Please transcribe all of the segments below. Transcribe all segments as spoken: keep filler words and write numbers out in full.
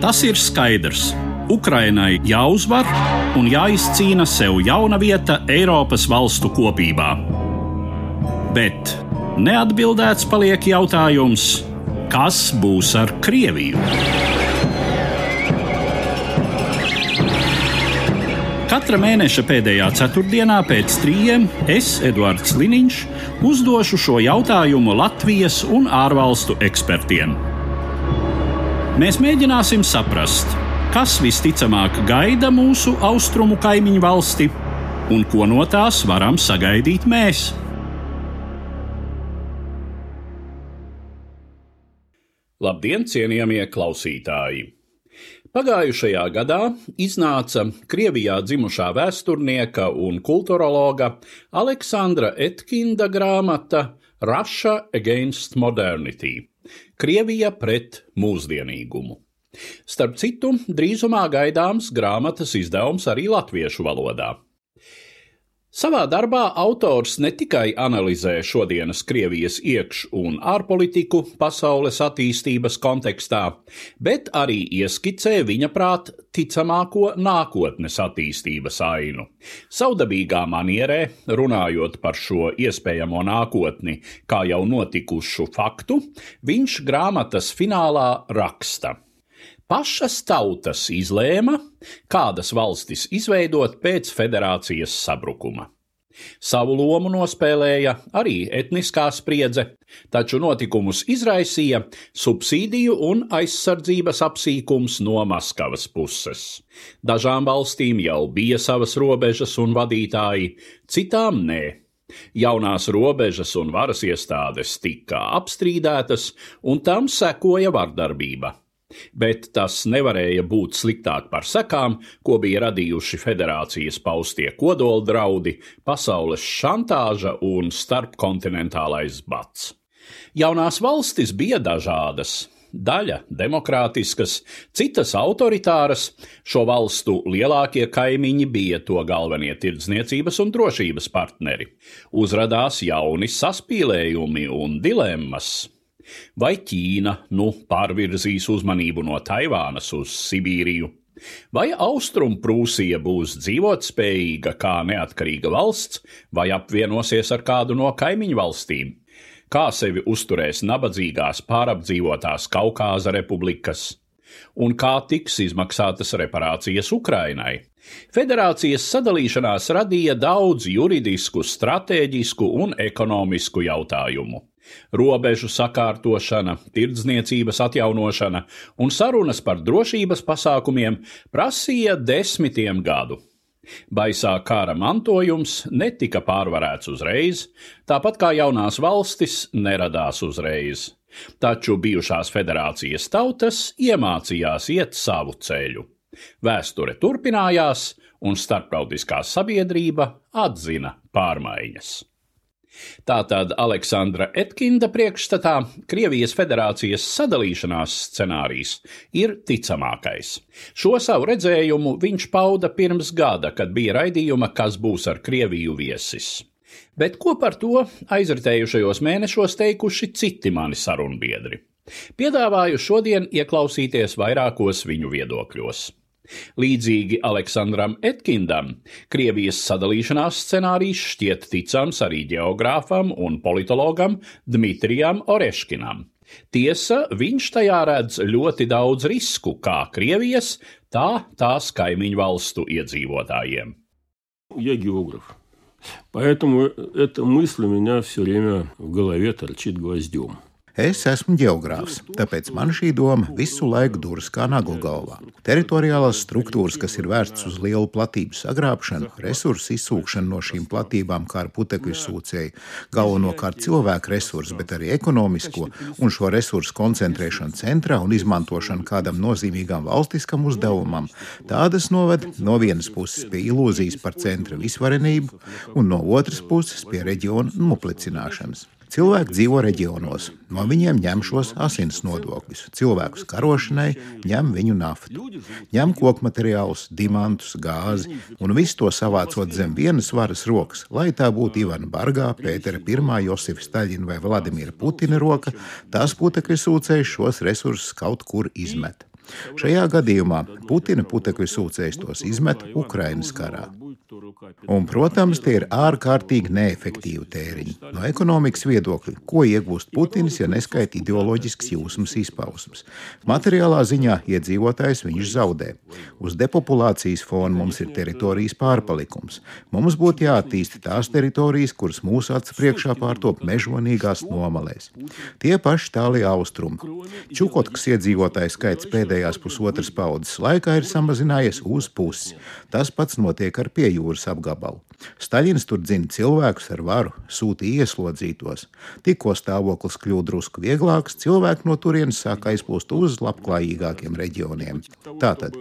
Tas ir skaidrs. Ukrainai jāuzvar un jāizcīna sev jauna vieta Eiropas valstu kopībā. Bet neatbildēts paliek jautājums, kas būs ar Krieviju? Katra mēneša pēdējā ceturtdienā pēc trījiem es, Eduards Liniņš, uzdošu šo jautājumu Latvijas un ārvalstu ekspertiem. Mēs mēģināsim saprast, kas visticamāk gaida mūsu austrumu kaimiņu valsti un ko no tās varam sagaidīt mēs. Labdien, cienījamie klausītāji! Pagājušajā gadā iznāca Krievijā dzimušā vēsturnieka un kulturologa Aleksandra Etkinda grāmata Russia Against Modernity – Krievija pret mūsdienīgumu. Starp citu, drīzumā gaidāms grāmatas izdevums arī latviešu valodā. Savā darbā autors ne tikai analizē šodienas Krievijas iekš- un ārpolitiku pasaules attīstības kontekstā, bet arī ieskicē viņa prāt ticamāko nākotnes attīstības ainu. Savdabīgā manierē, runājot par šo iespējamo nākotni kā jau notikušu faktu, viņš grāmatas finālā raksta. Pašas tautas izlēma, kādas valstis izveidot pēc federācijas sabrukuma. Savu lomu nospēlēja arī etniskā spriedze, taču notikumus izraisīja subsīdiju un aizsardzības apsīkums no Maskavas puses. Dažām valstīm jau bija savas robežas un vadītāji, citām nē. Jaunās robežas un varas iestādes tika apstrīdētas, un tam sekoja vardarbība. Bet tas nevarēja būt sliktāk par sekām, ko bija radījuši federācijas paustie kodoldraudi, pasaules šantāža un starpkontinentālais bats. Jaunās valstis bija dažādas, daļa demokrātiskas, citas autoritāras, šo valstu lielākie kaimiņi bija to galvenie tirdzniecības un drošības partneri. Uzradās jauni saspīlējumi un dilemmas. Vai Ķīna nu pārvirzīs uzmanību no Taivānas uz Sibīriju? Vai Austrumprūsija būs dzīvotspējīga kā neatkarīga valsts, vai apvienosies ar kādu no kaimiņu valstīm? Kā sevi uzturēs nabadzīgās pārapdzīvotās Kaukāza republikas? Un kā tiks izmaksātas reparācijas Ukrainai? Federācijas sadalīšanās radīja daudz juridisku, stratēģisku un ekonomisku jautājumu. Robežu sakārtošana, tirdzniecības atjaunošana un sarunas par drošības pasākumiem prasīja desmitiem gadu. Baisā kara mantojums netika pārvarēts uzreiz, tāpat kā jaunās valstis neradās uzreiz. Taču bijušās federācijas tautas iemācījās iet savu ceļu. Vēsture turpinājās, un starptautiskā sabiedrība atzina pārmaiņas. Tātad Aleksandra Etkinda priekšstatā Krievijas federācijas sadalīšanās scenārijs ir ticamākais. Šo savu redzējumu viņš pauda pirms gada, kad bija raidījuma Kas būs ar Krieviju viesis. Bet ko par to aizritējušajos mēnešos teikuši citi mani sarunbiedri? Piedāvāju šodien ieklausīties vairākos viņu viedokļos. Līdzīgi Aleksandram Etkindam, Krievijas sadalīšanās scenārijs šķiet ticams arī ģeogrāfam un politologam Dmitrijam Oreškinam. Tiesa, viņš tajā redz ļoti daudz risku kā Krievijas, tā tās kaimiņu valstu iedzīvotājiem. Я географ, поэтому эта мысль у меня все время в голове торчит гвоздем. Es esmu ģeogrāfs, tāpēc man šī doma visu laiku duras kā nagla galvā. Teritoriālās struktūras, kas ir vērstas uz lielu platību sagrābšanu, resursu izsūkšanu no šīm platībām kā ar putekļu sūcēju, galvenokārt cilvēku resursu, bet arī ekonomisko, un šo resursu koncentrēšanu centrā un izmantošanu kādam nozīmīgam valstiskam uzdevumam, tādas noved no vienas puses pie ilūzijas par centra visvarenību un no otras puses pie reģiona noplicināšanas. Cilvēki dzīvo reģionos, no viņiem ņem šos asins nodokļus, cilvēkus karošanai ņem viņu naftu, ņem kokmateriālus, dimantus, gāzi un visu to savācot zem vienas varas rokas, lai tā būtu Ivana Bargā, Pētera Pirmā, Josifa Staļina vai Vladimira Putina roka, tās putekļu sūcējs šos resursus kaut kur izmet. Šajā gadījumā Putina putekļu sūcējs tos izmet Ukrainas karā. Un, protams, tie ir ārkārtīgi neefektīvi tēriņi. No ekonomikas viedokļa, ko iegūst Putins, ja neskaita ideoloģisks jūsmas izpausmes? Materiālā ziņā iedzīvotājs viņš zaudē. Uz depopulācijas fona mums ir teritorijas pārpalikums. Mums būtu jāattīsta tās teritorijas, kuras mūsu acu priekšā pārtop mežonīgās nomalēs. Tie paši tālie austrumi. Čukotkas iedzīvotāju skaits pēdējās pusotras paudzes laikā ir samazinājies uz pusi. Tas pats notiek ar pie jūras apgabalu. Staļins tur dzina cilvēkus ar varu, sūta ieslodzītos. Tikko stāvoklis kļūst drusku vieglāks, cilvēki no turienes sāk aizplūst uz labklājīgākiem reģioniem. Tātad,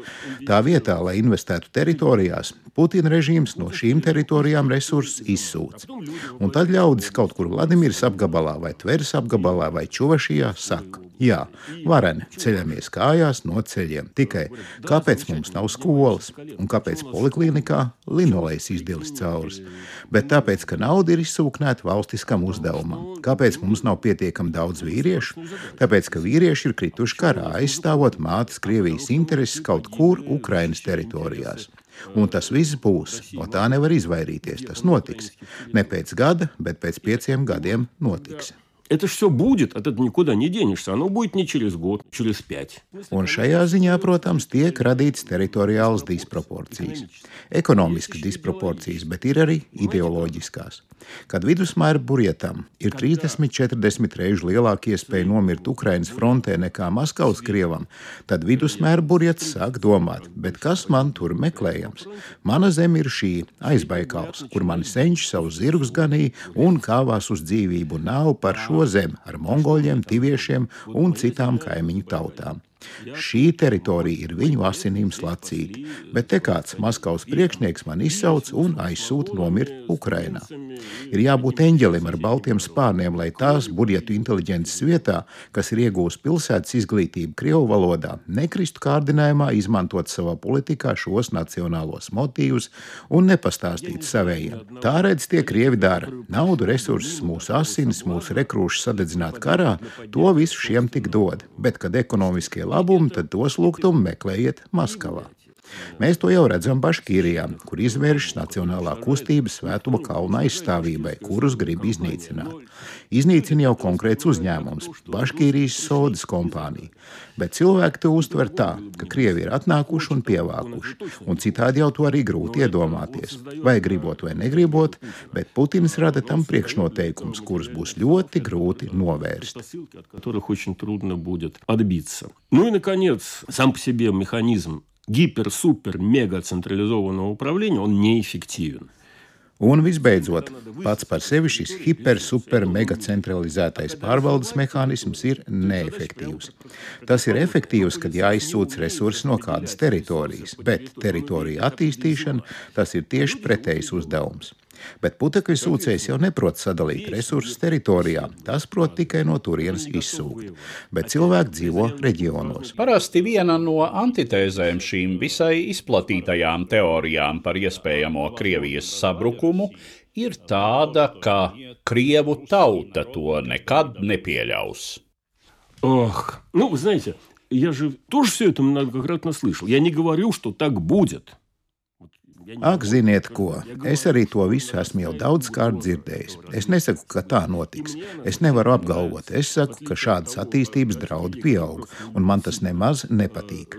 tā vietā, lai investētu teritorijās, Putina režīms no šīm teritorijām resursus izsūc. Un tad ļaudis kaut kur Vladimiras apgabalā vai Tveres apgabalā vai Čuvašijā saka: jā, vareni, ceļamies kājās no ceļiem. Tikai kāpēc mums nav skolas un kāpēc poliklinikā linolejs izdilis caurus? Bet tāpēc, ka nauda ir izsūknēta valstiskam uzdevumam. Kāpēc mums nav pietiekami daudz vīriešu? Tāpēc, ka vīrieši ir krituši karā, aizstāvot mātes Krievijas intereses kaut kur Ukrainas teritorijās. Un tas viss būs, no tā nevar izvairīties, tas notiks. Ne pēc gada, bet pēc pieciem gadiem notiks. Это ж все будет, от этого никуда не денешься. Оно будет не через год, через пять. Un šajā ziņā, protams, tiek radītas teritoriālas disproporcijas. Ekonomiskas disproporcijas, bet ir arī ideoloģiskās. Kad vidusmēra burjetam ir trīsdesmit četrdesmit reižu lielāka iespēja nomirt Ukrainas frontē nekā Maskavas krievam, tad vidusmēra burjets sāk domāt, bet kas man tur meklējams? Mana zeme ir šī, Aizbaikals, kur mani senči savus zirgus ganīja un kāvās uz dzīvību, nav par šo zemi ar mongoļiem, tiviešiem un citām kaimiņu tautām. Šī teritorija ir viņu asinīm slacīta, bet te kāds Maskavas priekšnieks man izsauc un aizsūta nomirt Ukrainā. Ir jābūt eņģelim ar baltiem spārniem, lai tās burjetu inteliģences vietā, kas ir iegūst pilsētas izglītību krievu valodā, nekristu kārdinājumā izmantot savā politikā šos nacionālos motīvus un nepastāstīt savējiem. Tā redz tie krievi dara. Naudu, resursus, mūsu asinis, mūsu rekrūšus sadedzināt karā, to visu šiem tik dod, bet kad ekonomiskie labumu, tad tos lūgtumu meklējiet Maskavā. Mēs to jau redzam Baškīrijā, kur izvēršas nacionālā kustība Svētuma kalna aizstāvībai, kurus grib iznīcināt. Iznīcina jau konkrēts uzņēmums – Baškīrijas sodas kompānija. Bet cilvēki to uztver tā, ka krievi ir atnākuši un pievākuši, un citādi jau to arī grūti iedomāties. Vai gribot vai negribot, bet Putins rada tam priekšnoteikums, kurus būs ļoti grūti novērst. Ну и, наконец, сам по себе механизм гипер-супер-мега-централизованного управления, он неэффективен. Un visbeidzot, pats par sevi šis hiper-super-mega-centralizētais pārvaldes mehānisms ir neefektīvs. Tas ir efektīvs, kad jāizsūc resursi no kādas teritorijas, bet teritorija attīstīšana tas ir tieši pretējs uzdevums. Bet putekļu sūcējs jau neprot sadalīt resursus teritorijā, tas prot tikai no turienes izsūkt. Bet cilvēki dzīvo reģionos. Parasti viena no antitēzēm šīm visai izplatītajām teorijām par iespējamo Krievijas sabrukumu ir tāda, ka Krievu tauta to nekad nepieļaus. Ох, ну, вы знаете, я же тоже все это многократно слышал. Я не говорю, что так будет. Ak, ziniet ko, es arī to visu esmu jau daudz kārt dzirdējis. Es nesaku, ka tā notiks. Es nevaru apgalvot. Es saku, ka šādas attīstības draudi pieaug, un man tas nemaz nepatīk.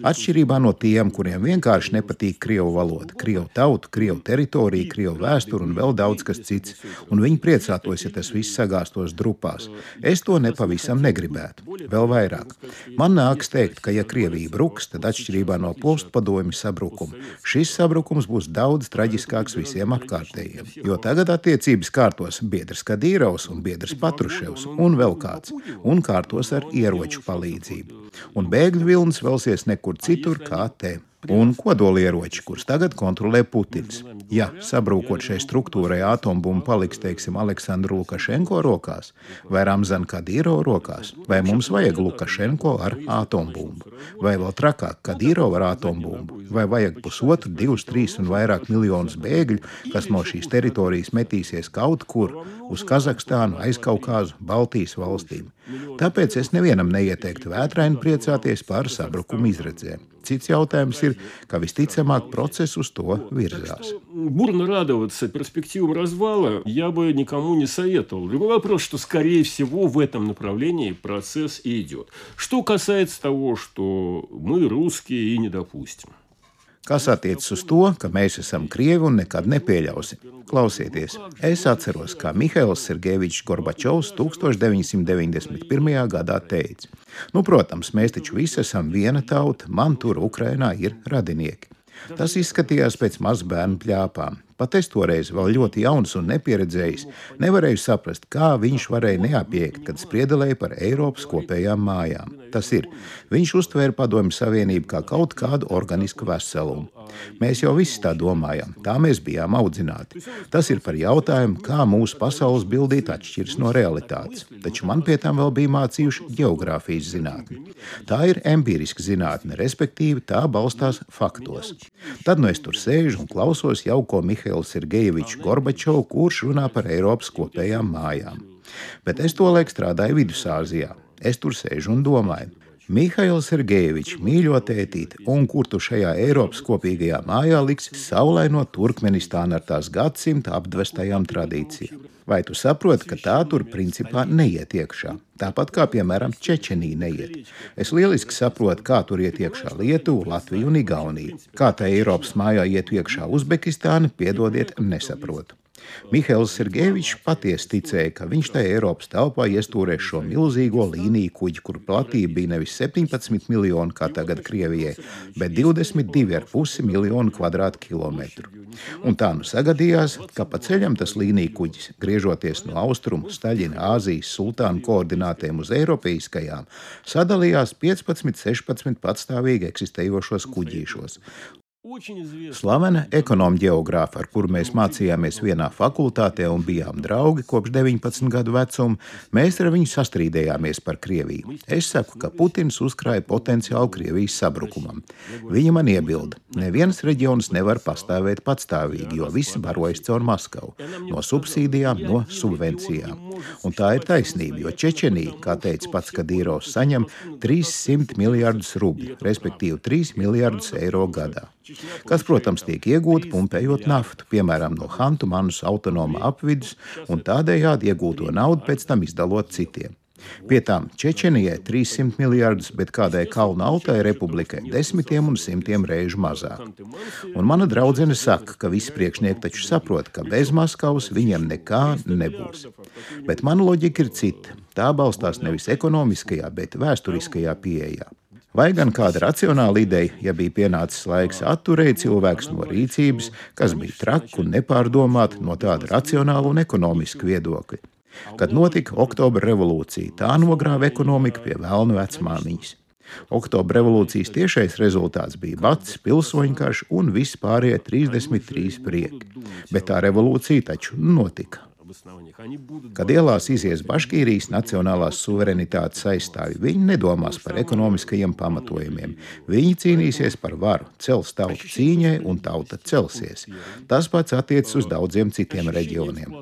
Atšķirībā no tiem, kuriem vienkārši nepatīk krievu valoda, krievu tautu, krievu teritoriju, krievu vēsturu un vēl daudz kas cits, un viņi priecātos, ja tas viss sagāstos drupās. Es to nepavisam negribētu. Vēl vairāk. Man nāks teikt, ka ja Krievija bruks, tad atšķirībā no postpadomju sabrukuma, šis sabrukums mums būs daudz traģiskāks visiem apkārtējiem, jo tagad attiecības kārtos biedrs Kadīrovs un biedrs Patruševs un vēl kāds, un kārtos ar ieroču palīdzību. Un bēgļu vilnis velsies nekur citur kā te. Un kodolieroči, kurus tagad kontrolē Putins. Ja sabrūkot šai struktūrai atombumba paliks, teiksim, Aleksandru Lukašenko rokās vai Ramzan Kadīrova rokās, vai mums vajag Lukašenko ar atombumbu, vai vēl trakāk Kadīrova ar atombumbu, vai vajag pusotru, divus, trīs un vairāk miljonus bēgļu, kas no šīs teritorijas metīsies kaut kur uz Kazahstānu, Aizkaukāzu, Baltijas valstīm. Tāpēc es nevienam neieteiktu vētraini priecāties par sabrukumu izredzēm. Cits jautājums ir, ka visticamāk process uz to virzās. Бурно радоваться перспективам развала я бы никому не советовал. Другой вопрос, что, скорее всего, в этом направлении процесс и идет. Что касается того, что мы, русские, и не допустим. Kas attiecas uz to, ka mēs esam krievi un nekad nepieļausim? Klausieties, es atceros, kā Mihails Sergejevičs Gorbačovs tūkstoš deviņi simti deviņdesmit pirmajā gadā teica: Nu, protams, mēs taču visi esam viena tauta, man tur Ukrainā ir radinieki. Tas izskatījās pēc mazbērnu pļāpām. Pat es toreiz vēl ļoti jauns un nepieredzējis, nevarēju saprast, kā viņš varēja neapiekt, kad spriedelēja par Eiropas kopējām mājām. Tas ir, viņš uztvēra Padomju Savienību kā kaut kādu organisku veselumu. Mēs jau visi tā domājam, tā mēs bijām audzināti. Tas ir par jautājumu, kā mūsu pasaules bildīt atšķiras no realitātes. Taču man pie tam vēl bija mācījuši geogrāfijas zinātni. Tā ir empiriska zinātne, respektīvi tā balstās faktos. Tad nu es tur sēžu un klausos jauko Mihailu Sergejeviču Gorbačovu, kurš runā par Eiropas kopējām mājām. Bet es tolaik strādāju Vidusāzijā. Es tur sēžu un domāju, Mihails Sergejevičs, mīļo tētīti, un kur tu šajā Eiropas kopīgajā mājā liksi saulaino Turkmenistānu ar tās gadsimta apdvestajām tradīcijām? Vai tu saproti, ka tā tur principā neiet iekšā? Tāpat kā, piemēram, Čečenija neiet. Es lieliski saprotu, kā tur iet iekšā Lietuva, Latvija un Igaunija. Kā tā Eiropas mājā iet iekšā Uzbekistāna, piedodiet, nesaprotu. Mihails Sergejevičs patiesi ticēja, ka viņš tajā Eiropas telpā iestūrēs šo milzīgo līniju kuģi, kur platība bija nevis septiņpadsmit miljoni, kā tagad Krievijai, bet divdesmit divi ar pusi miljonu kvadrātkilometru. Un tā nu sagadījās, ka pa ceļam tas līniju kuģis, griežoties no austrumu Staļina Āzijas sultānu koordinātēm uz eiropeiskajām, sadalījās piecpadsmit sešpadsmit patstāvīgi eksistējošos kuģīšos. Slavena ekonomu ģeogrāfa, ar kuru mēs mācījāmies vienā fakultātē un bijām draugi kopš deviņpadsmit gadu vecuma, mēs ar viņu sastrīdējāmies par Krieviju. Es saku, ka Putins uzkrāja potenciālu Krievijas sabrukumam. Viņa man iebilda, neviens reģions nevar pastāvēt patstāvīgi, jo visi barojas caur Maskavu, no subsīdijām, no subvencijām. Un tā ir taisnība, jo Čečenija, kā teica pats Kadīrovs, saņem trīssimt miljardus rubļu, respektīvi trīs miljardus eiro gadā. Kas, protams, tiek iegūti pumpējot naftu, piemēram, no Hantu Manus autonoma apvidus, un tādējādi iegūto naudu pēc tam izdalot citiem. Pie tām Čečenijai trīssimt miljardus, bet kādai Kalnu Altai republikai desmitiem un simtiem reižu mazāk. Un mana draudzene saka, ka visi priekšnieki taču saprot, ka bez Maskavas viņiem nekā nebūs. Bet mana loģika ir cita. Tā balstās nevis ekonomiskajā, bet vēsturiskajā pieejā. Vai gan kāda racionāla ideja, ja bija pienācis laiks, atturēja cilvēks no rīcības, kas bija traka un nepārdomāta no tāda racionāla un ekonomiska viedokļa. Kad notika Oktobra revolūcija, tā nogrāva ekonomiku pie velnu vecmāmiņas. Oktobra revolūcijas tiešais rezultāts bija bats, pilsoņu karš un viss pārējie trīsdesmit trīs prieki. Bet tā revolūcija taču notika. Kad ielās izies Baškīrijas nacionālās suverenitātes aizstāvi, viņi nedomās par ekonomiskajiem pamatojumiem. Viņi cīnīsies par varu, cels tautu cīņai un tauta celsies. Tas pats attiecas uz daudziem citiem reģioniem.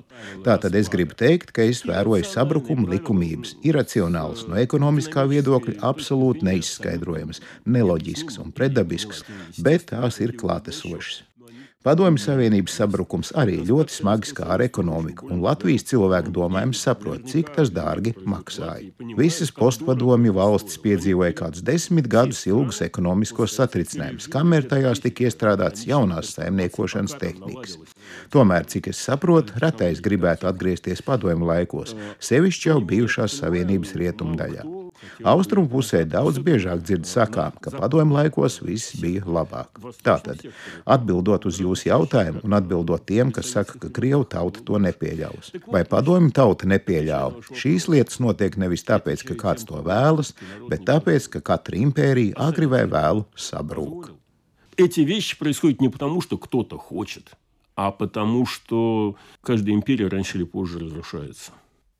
Tātad es gribu teikt, ka es vēroju sabrukumu likumības, iracionāls, no ekonomiskā viedokļa absolūti neizskaidrojams, neloģisks un pretdabisks, bet tās ir klātesošas. Padomju Savienības sabrukums arī ļoti smagi skāra ekonomiku, un Latvijas cilvēku domājums saprot, cik tas dārgi maksāja. Visas postpadomju valstis piedzīvoja kādus desmit gadus ilgus ekonomiskos satricinājumus, kamēr tajās tika iestrādāts jaunās saimniekošanas tehnikas. Tomēr, cik es saprotu, retais gribētu atgriezties padomju laikos, sevišķi jau bijušās Savienības rietumdaļā. Austrumu pusē daudz biežāk dzird sakām, ka padomju laikos viss bija labāk. Tātad, atbildot uz jūsu jautājumu un atbildot tiem, kas saka, ka Krievu tauta to nepieļaus. Vai padomju tauta nepieļāva? Šīs lietas notiek nevis tāpēc, ka kāds to vēlas, bet tāpēc, ka katra impērija agri vai vēlu sabrūk. Эти вещи происходят не потому, что кто-то хочет, а потому, что каждая империя раньше или позже разрушается.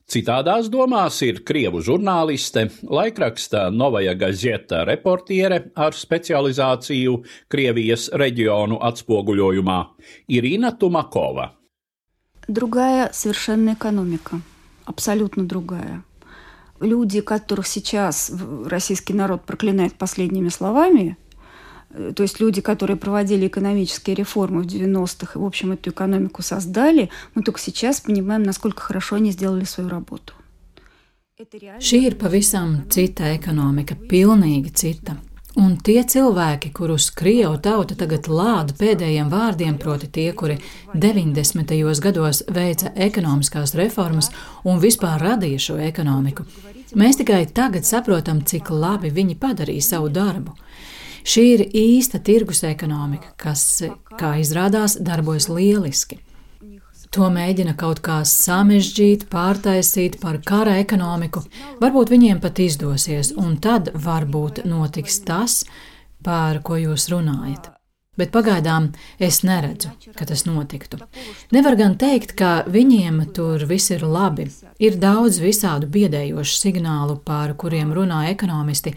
Citādās domās ir krievu žurnāliste, laikraksta Novaja Gazeta reportiere ar specializāciju Krievijas reģionu atspoguļojumā Irina Tumakova. Другая совершенно экономика, абсолютно другая. Люди, которых сейчас российский народ проклинает последними словами, то есть люди, которые проводили экономические реформы в девяностых и, в общем, эту экономику создали, мы только сейчас понимаем, насколько хорошо они сделали свою работу. Šī ir pavisam cita ekonomika, pilnīgi cita. Un tie cilvēki, kurus Krievu tauta tagad lāda pēdējiem vārdiem, proti tie, kuri deviņdesmitajos gados veica ekonomiskās reformas un vispār radīja šo ekonomiku, mēs tikai tagad saprotam, cik labi viņi padarīja savu darbu. Šī ir īsta tirgus ekonomika, kas, kā izrādās, darbojas lieliski. To mēģina kaut kā samežģīt, pārtaisīt par kara ekonomiku. Varbūt viņiem pat izdosies, un tad varbūt notiks tas, par ko jūs runājat. Bet pagaidām es neredzu, ka tas notiktu. Nevar gan teikt, ka viņiem tur viss ir labi. Ir daudz visādu biedējošu signālu, par kuriem runā ekonomisti,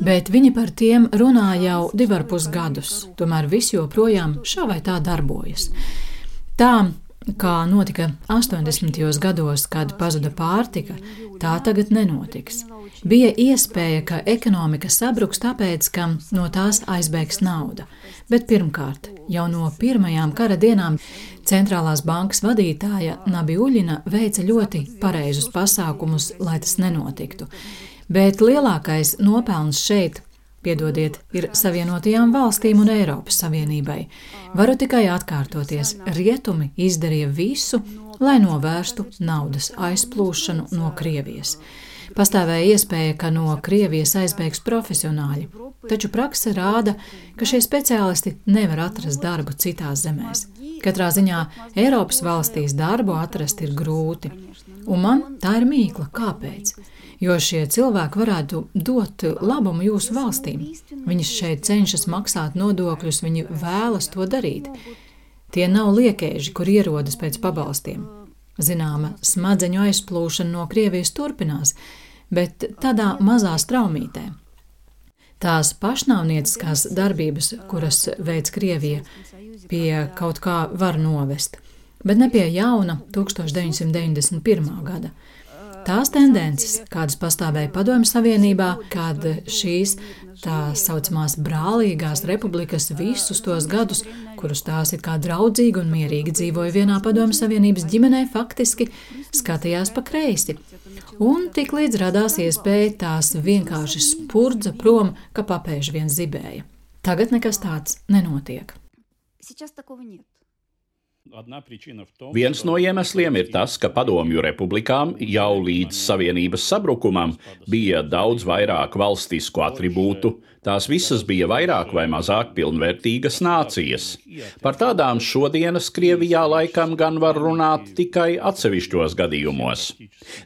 bet viņi par tiem runā jau divi ar pus gadus. Tomēr viss joprojām šā vai tā darbojas. Tā, kā notika astoņdesmitajos gados, kad pazuda pārtika, tā tagad nenotiks. Bija iespēja, ka ekonomika sabruks tāpēc, ka no tās aizbēgs nauda. Bet pirmkārt, jau no pirmajām kara dienām centrālās bankas vadītāja Nabiuļina veica ļoti pareizus pasākumus, lai tas nenotiktu. Bet lielākais nopelns šeit, piedodiet, ir Savienotajām valstīm un Eiropas Savienībai. Varu tikai atkārtoties, rietumi izdarīja visu, lai novērstu naudas aizplūšanu no Krievijas. Pastāvēja iespēja, ka no Krievijas aizbēgs profesionāļi, taču prakse rāda, ka šie speciālisti nevar atrast darbu citās zemēs. Katrā ziņā Eiropas valstīs darbu atrast ir grūti. Un man tā ir mīkla, kāpēc? Jo šie cilvēki varētu dot labumu jūsu valstīm. Viņi šeit cenšas maksāt nodokļus, viņi vēlas to darīt. Tie nav liekēži, kur ierodas pēc pabalstiem. Zināma smadzeņu aizplūšana no Krievijas turpinās, bet tādā mazā straumītē. Tās pašnāvnieciskās darbības, kuras veic Krievija, pie kaut kā var novest, bet ne pie jauna tūkstoš deviņsimt deviņdesmit pirmā gada. Tās tendences, kādas pastāvēja Padomju Savienībā, kad šīs tā saucamās brālīgās republikas visus tos gadus, kurus tās it kā draudzīgi un mierīgi dzīvoja vienā Padomju Savienības ģimenē, faktiski skatījās pa kreisi. Un tik līdz radās iespēja tās vienkārši spurdza prom, ka papēži vien zibēja. Tagad nekas tāds nenotiek. Viens no iemesliem ir tas, ka Padomju republikām jau līdz Savienības sabrukumam bija daudz vairāk valstisku atribūtu, tās visas bija vairāk vai mazāk pilnvērtīgas nācijas. Par tādām šodienas Krievijā laikam gan var runāt tikai atsevišķos gadījumos.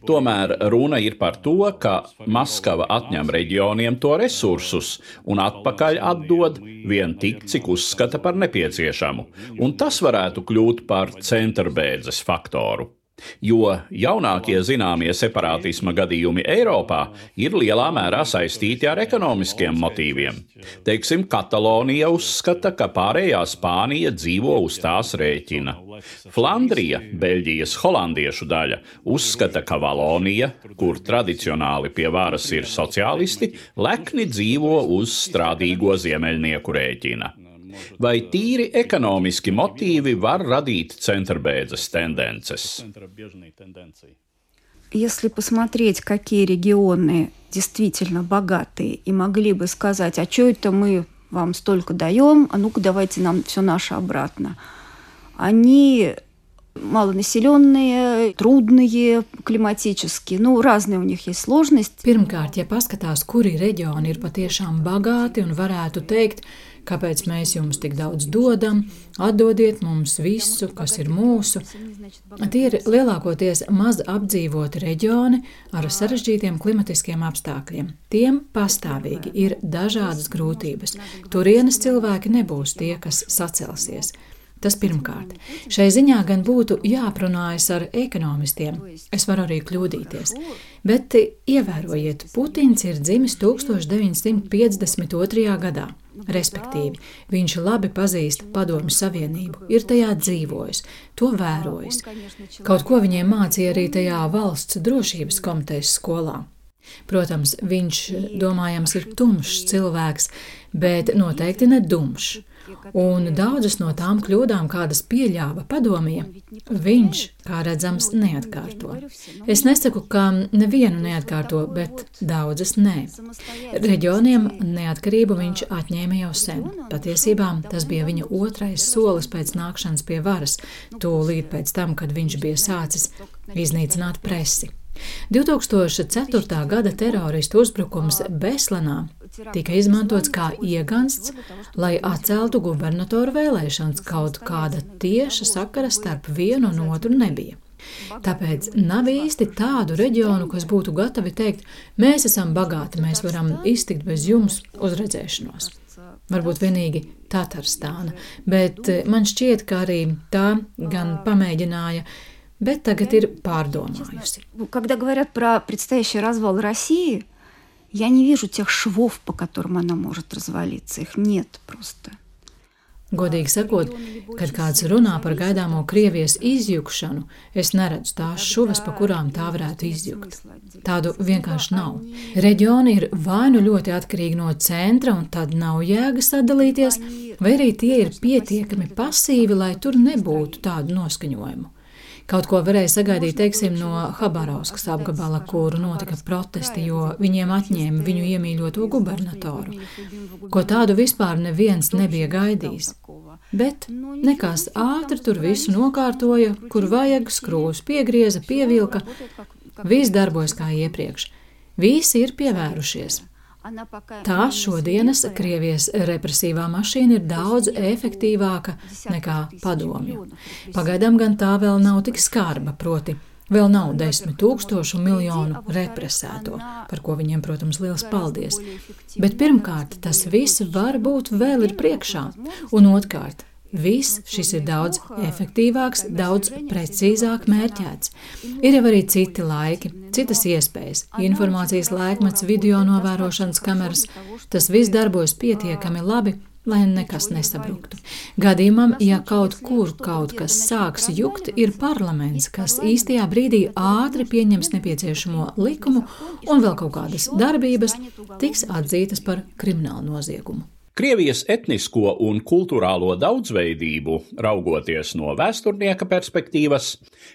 Tomēr runa ir par to, ka Maskava atņem reģioniem to resursus un atpakaļ atdod vien tik, cik uzskata par nepieciešamu, un tas varētu kļūt par centrbēdzes faktoru. Jo jaunākie zināmie separātisma gadījumi Eiropā ir lielā mērā saistīti ar ekonomiskiem motīviem. Teiksim, Katalonija uzskata, ka pārējā Spānija dzīvo uz tās rēķina. Flandrija, Beļģijas holandiešu daļa, uzskata, ka Valonija, kur tradicionāli pie varas ir sociālisti, lekni dzīvo uz strādīgo ziemeļnieku rēķina. Vai tīri ekonomiski motīvi var radīt centrbēdzes tendences? Если посмотреть, какие регионы действительно богатые и могли бы сказать, а что это мы вам столько даем, а ну-ка давайте нам все наше обратно. Они малонаселенные, трудные климатически, nu, разные у них есть сложности. Pirmkārt, ja paskatās, kuri reģioni ir patiešām bagāti un varētu teikt, kāpēc mēs jums tik daudz dodam, atdodiet mums visu, kas ir mūsu. Tie ir lielākoties maz apdzīvoti reģioni ar sarežģītiem klimatiskiem apstākļiem. Tiem pastāvīgi ir dažādas grūtības. Turienes cilvēki nebūs tie, kas sacelsies. Tas pirmkārt. Šai ziņā gan būtu jāprunājas ar ekonomistiem. Es varu arī kļūdīties. Bet ievērojiet, Putins ir dzimis tūkstoš deviņsimt piecdesmit otrajā gadā. Respektīvi, viņš labi pazīst Padomju Savienību, ir tajā dzīvojis, to vērojis. Kaut ko viņiem mācīja arī tajā valsts drošības komitejas skolā. Protams, viņš, domājams, ir tumšs cilvēks, bet noteikti ne dumšs. Un daudzas no tām kļūdām, kādas pieļāva padomie, viņš, kā redzams, neatkārto. Es nesaku, ka nevienu neatkārto, bet daudzas nē. Reģioniem neatkarību viņš atņēma jau sen. Patiesībā tas bija viņa otrais solis pēc nākšanas pie varas, tūlīt pēc tam, kad viņš bija sācis iznīcināt presi. divtūkstoš ceturtā gada teroristu uzbrukums Beslanā tika izmantots kā iegansts, lai atceltu gubernatoru vēlēšanas, kaut kāda tieša sakara starp vienu un otru nebija. Tāpēc nav īsti tādu reģionu, kas būtu gatavi teikt, mēs esam bagāti, mēs varam iztikt bez jums uz redzēšanos. Varbūt vienīgi Tatarstāna, bet man šķiet, ka arī tā gan pamēģināja, bet tagad ir pārdomājusi. Когда говорят про предстоящий развал России, я не вижу тех швов, по которым она может развалиться. Их нет просто. Godīgi sakot, kad kāds runā par gaidāmo Krievijas izjukšanu, es neredzu tās šuvas, pa kurām tā varētu izjukt. Tādu vienkārši nav. Reģioni ir vai nu ļoti atkarīgi no centra, un tad nav jēga sadalīties, vai arī tie ir pietiekami pasīvi, lai tur nebūtu tādu noskaņojumu. Kaut ko varēja sagaidīt, teiksim, no Habarovskas apgabala, kur notika protesti, jo viņiem atņēma viņu iemīļoto gubernatoru. Ko tādu vispār neviens nebija gaidījis. Bet nekas ātri tur visu nokārtoja, kur vajag, skrūvus piegrieza, pievilka. Viss darbojas kā iepriekš. Visi ir pievērušies. Tā šodienas Krievijas represīvā mašīna ir daudz efektīvāka nekā padomju. Pagaidām gan tā vēl nav tik skarba, proti vēl nav desmit tūkstošu miljonu represēto, par ko viņiem, protams, liels paldies. Bet pirmkārt, tas viss varbūt vēl ir priekšā, un otrkārt, viss šis ir daudz efektīvāks, daudz precīzāk mērķēts. Ir jau arī citi laiki, citas iespējas, informācijas laikmets, video novērošanas kameras. Tas viss darbojas pietiekami labi, lai nekas nesabruktu. Gadījumam, ja kaut kur kaut kas sāks jukt, ir parlaments, kas īstajā brīdī ātri pieņems nepieciešamo likumu un vēl kaut kādas darbības tiks atzītas par kriminālu noziegumu. Krievijas etnisko un kultūrālo daudzveidību, raugoties no vēsturnieka perspektīvas,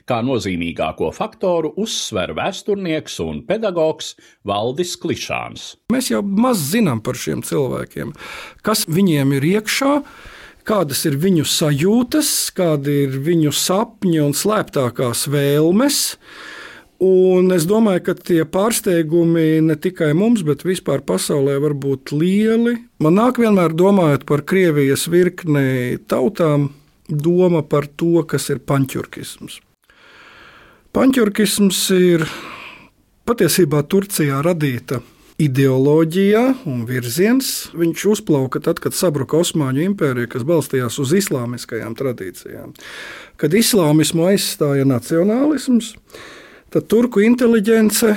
kā nozīmīgāko faktoru uzsver vēsturnieks un pedagogs Valdis Klišāns. Mēs jau maz zinām par šiem cilvēkiem, kas viņiem ir iekšā, kādas ir viņu sajūtas, kādi ir viņu sapņi un slēptākās vēlmes. Un es domāju, ka tie pārsteigumi ne tikai mums, bet vispār pasaulē var būt lieli. Man nāk vienmēr domājot par Krievijas virkni tautām, doma par to, kas ir panķurkisms. Panķurkisms ir patiesībā Turcijā radīta ideoloģija un virziens. Viņš uzplauka tad, kad sabruka Osmaņu impērija, kas balstījās uz islāmiskajām tradīcijām. Kad islāmismu aizstāja nacionālisms, tad turku inteliģence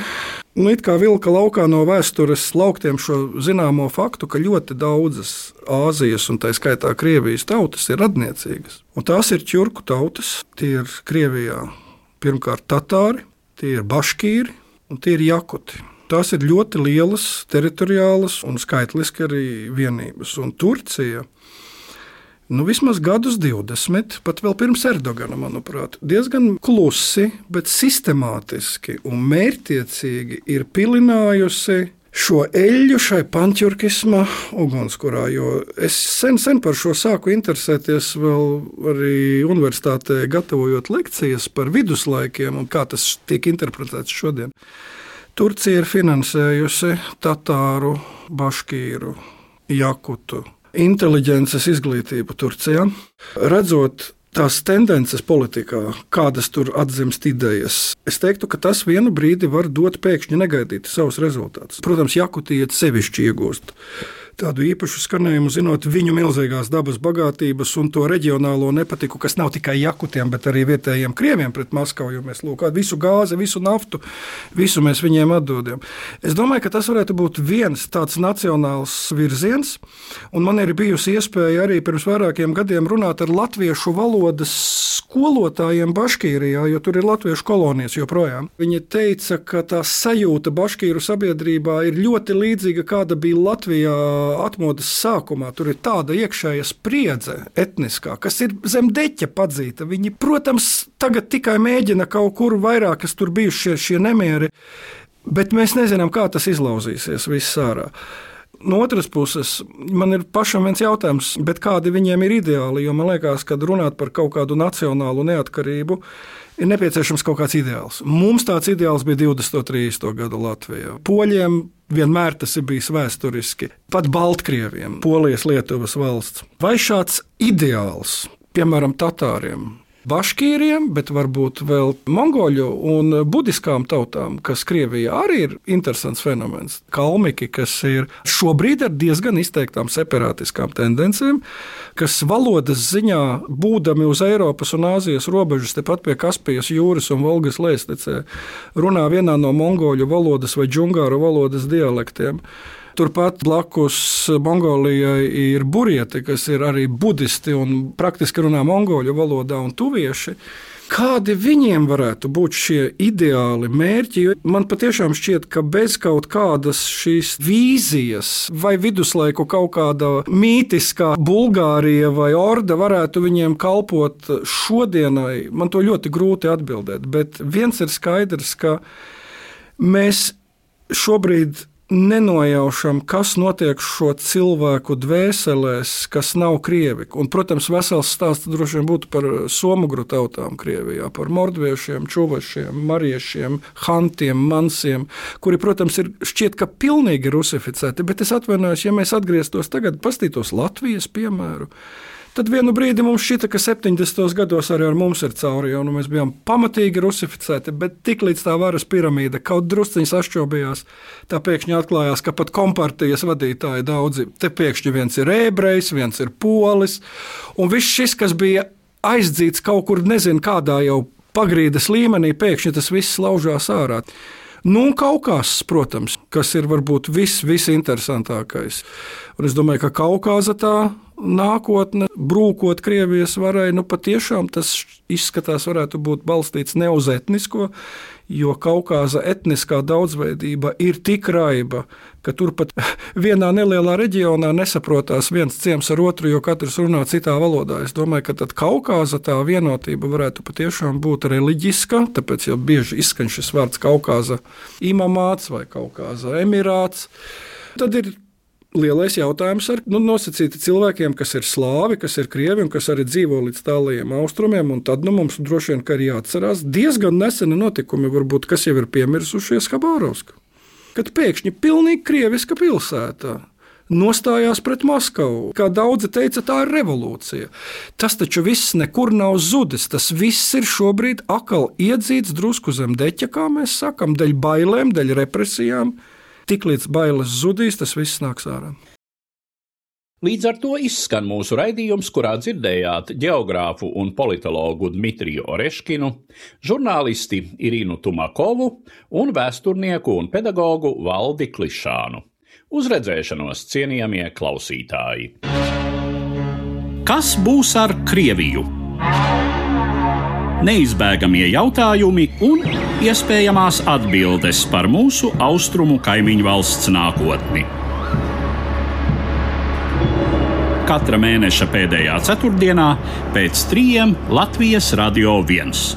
nu, it kā vilka laukā no vēstures lauktiem šo zināmo faktu, ka ļoti daudzas Āzijas un tā skaitā Krievijas tautas ir radniecīgas. Un tās ir ķurku tautas, tie ir Krievijā pirmkārt tatāri, tie ir baškīri un tie ir jakuti. Tās ir ļoti lielas, teritoriālas un skaitliski arī vienības. Un Turcija, nu, vismaz gadus divdesmit, pat vēl pirms Erdogana, manuprāt, diezgan klusi, bet sistemātiski un mērķtiecīgi ir pilinājusi šo eļļu šai panķurkisma ugunskurā, jo es sen, sen par šo sāku interesēties vēl arī universitātē, gatavojot lekcijas par viduslaikiem un kā tas tiek interpretēts šodien. Turcija ir finansējusi tatāru, baškīru, jakutu inteliģences izglītību Turcijā, redzot tās tendences politikā, kādas tur atzimst idejas. Es teiktu, ka tas vienu brīdi var dot pēkšņi negaidīti savus rezultātus. Protams, Jakutija sevišķi iegūst tādu īpašu skanējumu, zinot viņu milzīgās dabas bagātības un to reģionālo nepatiku, kas nav tikai jakutiem, bet arī vietējiem krieviem pret Maskavu, jo mēs lūk, visu gāzi, visu naftu, visu mēs viņiem atdodam. Es domāju, ka tas varētu būt viens tāds nacionāls virziens, un man ir bijusi iespēja arī pirms vairākiem gadiem runāt ar latviešu valodas skolotājiem Baškīrijā, jo tur ir latviešu kolonijas joprojām. Viņi teica, ka tā sajūta Baškīru sabiedrībā ir ļoti līdzīga, kāda bija Latvijā atmodas sākumā. Tur ir tāda iekšēja spriedze etniskā, kas ir zem deķa padzīta. Viņi, protams, tagad tikai mēģina kaut kur vairāk, kas tur bijuši šie, šie nemieri, bet mēs nezinām, kā tas izlauzīsies viss ārā. No otras puses, man ir pašam viens jautājums, bet kādi viņiem ir ideāli, jo man liekas, kad runāt par kaut kādu nacionālu neatkarību, ir nepieciešams kaut kāds ideāls. Mums tāds ideāls bija divdesmit trīsdesmito gadu Latvijā. Poļiem vienmēr tas ir bijis vēsturiski. Pat Baltkrieviem, Polijas, Lietuvas valsts. Vai šāds ideāls, piemēram, tatāriem, Baškīriem, bet varbūt vēl mongoļu un budiskām tautām, kas Krievijā arī ir interesants fenomens. Kalmiki, kas ir šobrīd ar diezgan izteiktām separātiskām tendencēm, kas valodas ziņā, būdami uz Eiropas un Āzijas robežas, tepat pie Kaspijas jūras un Volgas lejstecē, runā vienā no mongoļu valodas vai džungāru valodas dialektiem. Turpat blakus Mongolijai ir burieti, kas ir arī budisti un praktiski runā mongoļu valodā un tuvieši. Kādi viņiem varētu būt šie ideāli mērķi? Man patiešām šķiet, ka bez kaut kādas šīs vīzijas vai viduslaiku kaut kāda mītiskā Bulgārija vai Orda varētu viņiem kalpot šodienai, man to ļoti grūti atbildēt. Bet viens ir skaidrs, ka mēs šobrīd nenojaušam, kas notiek šo cilvēku dvēselēs, kas nav krievi. Un, protams, vesels stāsts droši vien būtu par somugru tautām Krievijā, par mordviešiem, čuvašiem, mariešiem, hantiem, mansiem, kuri, protams, ir šķiet, ka pilnīgi rusificēti, bet es atvainojos, ja mēs atgrieztos tagad, pastītos Latvijas piemēru, tad vienu brīdi mums šķita, ka septiņdesmitos gados arī ar mums ir cauri, jo nu, mēs bijām pamatīgi rusificēti, bet tik līdz tā varas piramīda kaut drusciņi sašķobījās, tā pēkšņi atklājās, ka pat kompartijas vadītāji daudzi, te pēkšņi viens ir ebrejs, viens ir polis, un viss šis, kas bija aizdzīts kaut kur, nezinu, kādā jau pagrīdes līmenī, pēkšņi tas viss laužās ārā. Nu, un Kaukāzs, protams, kas ir varbūt viss, visinteresantākais. Un es domāju, ka Kaukāza tā nākotne, brūkot Krievijas varai, nu patiešām tas izskatās varētu būt balstīts ne uz etnisko, jo Kaukāza etniskā daudzveidība ir tik raiba, ka turpat vienā nelielā reģionā nesaprotās viens ciems ar otru, jo katrs runā citā valodā. Es domāju, ka tad Kaukāza tā vienotība varētu patiešām būt reliģiska, tāpēc jau bieži izskan šis vārds Kaukāza imamāts vai Kaukāza emirāts. Tad ir lielais jautājums ar nu, nosacīti cilvēkiem, kas ir slāvi, kas ir krievi un kas arī dzīvo līdz tālajiem austrumiem, un tad nu, mums droši vien ka ir jāatcerās diezgan neseni notikumi, varbūt, kas jau ir piemirsušies Habārovska. Kad pēkšņi pilnīgi krieviska pilsētā nostājās pret Maskavu. Kā daudzi teica, tā ir revolūcija. Tas taču viss nekur nav zudis, tas viss ir šobrīd akal iedzīts drusku zem deķa, kā mēs sakam, dēļ bailēm, dēļ represijām. Tik līdz bailes zudīs, tas viss nāks ārā. Līdz ar to izskan mūsu raidījums, kurā dzirdējāt geogrāfu un politologu Dmitriju Oreškinu, žurnālisti Irinu Tumakovu un vēsturnieku un pedagogu Valdi Klišānu. Uz redzēšanos, cienījamie klausītāji! Kas būs ar Krieviju? Neizbēgamie jautājumi un iespējamās atbildes par mūsu austrumu kaimiņu valsts nākotni. Katra mēneša pēdējā ceturtdienā pēc trījiem Latvijas Radio viens.